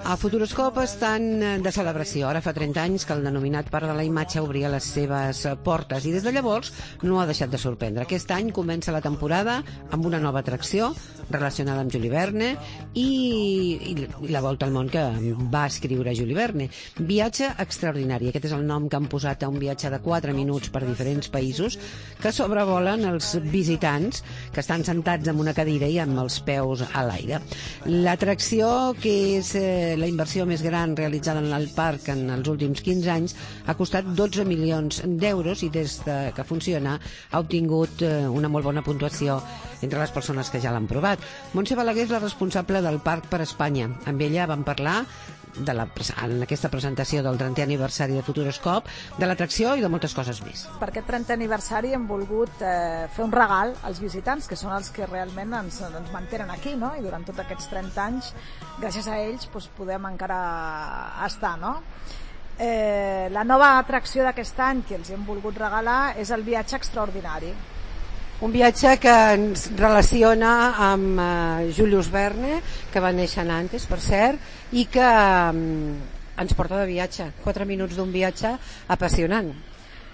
A Futuroscope estan de celebració. Ara fa 30 anys que el denominat Parc de la Imatge obria les seves portes i des de llavors no ha deixat de sorprendre. Aquest any comença la temporada amb una nova atracció relacionada amb Jules Verne i la volta al món que va escriure Jules Verne. Viatge extraordinari. Aquest és el nom que han posat a un viatge de 4 minuts per diferents països que sobrevolen els visitants que estan sentats en una cadira i amb els peus a l'aire. L'atracció, que és la inversió més gran realitzada en el parc en els últims 15 anys, ha costat 12 milions d'euros i des que funciona ha obtingut una molt bona puntuació entre les persones que ja l'han provat. Montse Balaguer és la responsable del Parc per Espanya. Amb ella vam parlar en aquesta presentació del 30è aniversari de Futuroscope, de l'atracció i de moltes coses més. Per aquest 30è aniversari hem volgut fer un regal als visitants, que són els que realment ens mantenen aquí, no? I durant tots aquests 30 anys, gràcies a ells, podem encara estar, no? La nova atracció d'aquest any que els hem volgut regalar és el viatge extraordinari. Un viatge que ens relaciona amb Jules Verne, que va néixer a Nantes, per cert, i que ens porta de viatge. 4 minuts d'un viatge apassionant.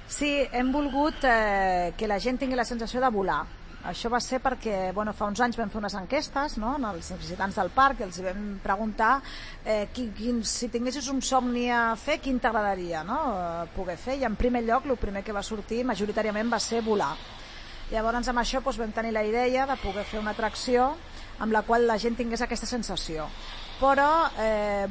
Sí, hem volgut que la gent tingui la sensació de volar. Això va ser perquè fa uns anys vam fer unes enquestes, no?, als visitants del parc, i els vam preguntar si tinguessis un somni a fer, quin t'agradaria, no?, poder fer. I en primer lloc, el primer que va sortir majoritàriament va ser volar. Llavors amb això vam tenir la idea de poder fer una atracció amb la qual la gent tingués aquesta sensació. Però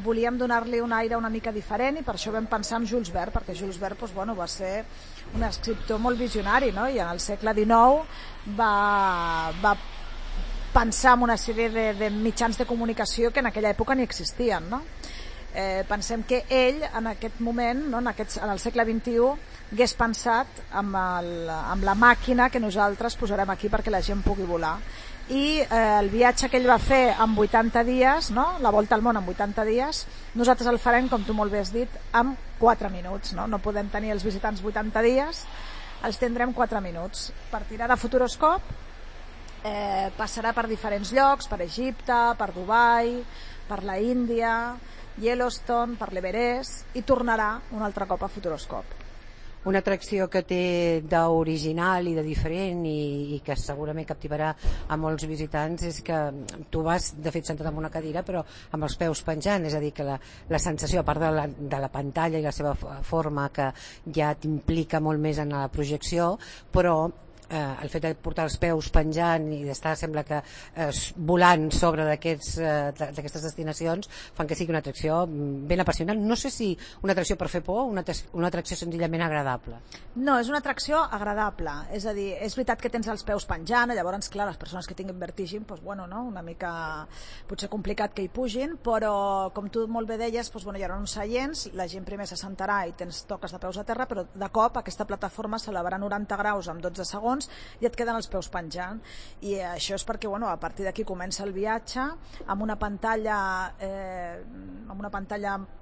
volíem donar-li un aire una mica diferent i per això vam pensar en Jules Verne, perquè Jules Verne va ser un escriptor molt visionari, no? I en el segle XIX va pensar en una sèrie de mitjans de comunicació que en aquella època ni existien, no? Pensem que ell en aquest moment, no, en el segle XXI, hagués pensat amb la màquina que nosaltres posarem aquí perquè la gent pugui volar. I el viatge que ell va fer en 80 dies, no? La volta al món en 80 dies, nosaltres el farem, com tu molt bé has dit, en 4 minuts. No podem tenir els visitants 80 dies, els tindrem 4 minuts. Partirà de Futuroscope, passarà per diferents llocs, per Egipte, per Dubai, per la Índia, Yellowstone, per l'Everest, i tornarà un altre cop a Futuroscope. Una atracció que té d'original i de diferent i que segurament captivarà a molts visitants és que tu vas, de fet, sentat en una cadira però amb els peus penjant, és a dir, que la sensació, a part de la pantalla i la seva forma, que ja t'implica molt més en la projecció, però el fet de portar els peus penjant i d'estar, sembla que volant sobre d'aquestes destinacions, fan que sigui una atracció ben apassionant. No sé si una atracció per fer por o una atracció senzillament agradable. No, és una atracció agradable, és a dir, és veritat que tens els peus penjant, llavors, clar, les persones que tinguin vertigen, no? Una mica potser complicat que hi pugin, però com tu molt bé deies, hi haurà uns seients, la gent primer s'assentarà i toques de peus a terra, però de cop aquesta plataforma s'elevarà 90 graus en 12 segons i et queden els peus penjant, i això és perquè a partir d'aquí comença el viatge amb una pantalla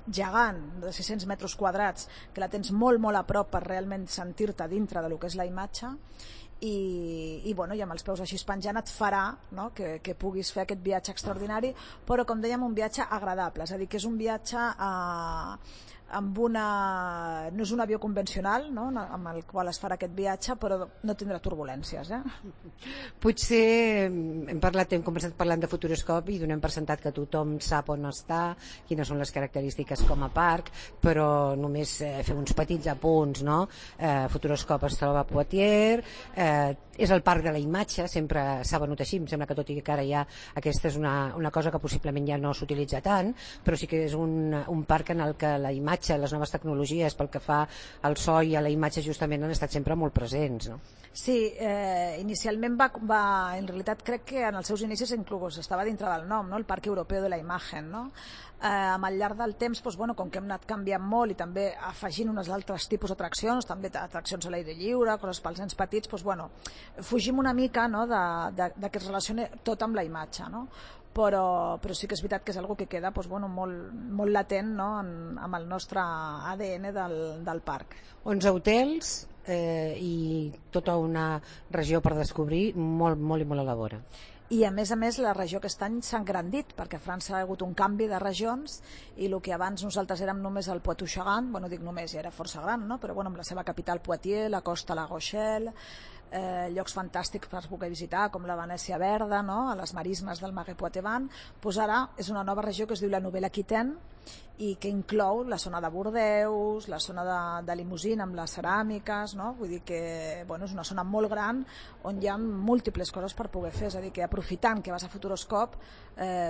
gegant de 600 metres quadrats que la tens molt molt a prop per realment sentir-te dintre del que és la imatge, i amb els peus així penjant et farà, no?, que puguis fer aquest viatge extraordinari, però com dèiem, un viatge agradable, és a dir, que és un viatge no és un avió convencional, no?, amb el qual es farà aquest viatge, però no tindrà turbulències. Potser hem començat parlant de Futuroscope i donem per sentat que tothom sap on està, quines són les característiques com a parc, però només fer uns petits apunts, no? Futuroscope es troba a Poitiers, és el parc de la imatge, sempre s'ha venut així, em sembla que tot i que ara ja aquesta és una cosa que possiblement ja no s'utilitza tant, però sí que és un parc en el que la imatge, les noves tecnologies pel que fa al so i a la imatge justament han estat sempre molt presents, no? Sí, inicialment en realitat crec que en els seus inicis inclús estava dintre del nom, no?, el Parc Europeu de la Imagen, no? Al llarg del temps, com que hem anat canviant molt i també afegint uns altres tipus d'atraccions, també atraccions a l'aire lliure, coses pels nens petits, fugim una mica, no?, de que es relacioni tot amb la imatge, no? Però sí que és veritat que és una que queda molt latent, no?, amb el nostre ADN del parc. 11 hotels i tota una regió per descobrir molt i molt a la vora. i a més la regió aquest any s'ha engrandit, perquè a França ha hagut un canvi de regions i el que abans nosaltres érem només el Poitou-Charentes, bueno, dic només, ja era força gran, no? Però bueno, amb la seva capital Poitiers, la costa La Rochelle, llocs fantàstics per poder visitar com la Venècia Verda, no? A les marismes del Marais Poitevin, doncs ara és una nova regió que es diu la Nouvelle-Aquitaine i que inclou la zona de Bordeus, la zona de Limousin amb les ceràmiques, no? Vull dir que bueno, és una zona molt gran on hi ha múltiples coses per poder fer, és a dir, que aprofitant que vas a Futuroscope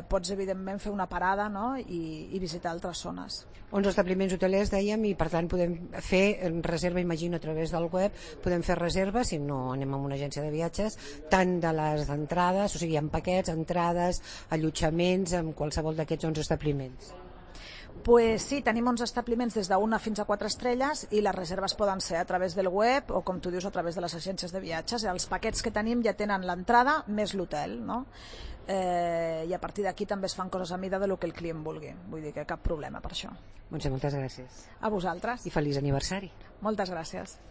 pots evidentment fer una parada, no? I visitar altres zones. 11 establiments hotelers, dèiem, i per tant podem fer reserva, imagino, a través del web, podem fer reserves, si no anem a una agència de viatges, tant de les entrades, o sigui, en paquets, entrades, allotjaments, en qualsevol d'aquests 11 establiments. Pues sí, tenim 11 establiments des d'una fins a 4 estrelles i les reserves poden ser a través del web o, com tu dius, a través de les agències de viatges. Els paquets que tenim ja tenen l'entrada més l'hotel, no? I a partir d'aquí també es fan coses a mida del que el client vulgui. Vull dir que cap problema per això. Montse, moltes gràcies. A vosaltres. I feliç aniversari. Moltes gràcies.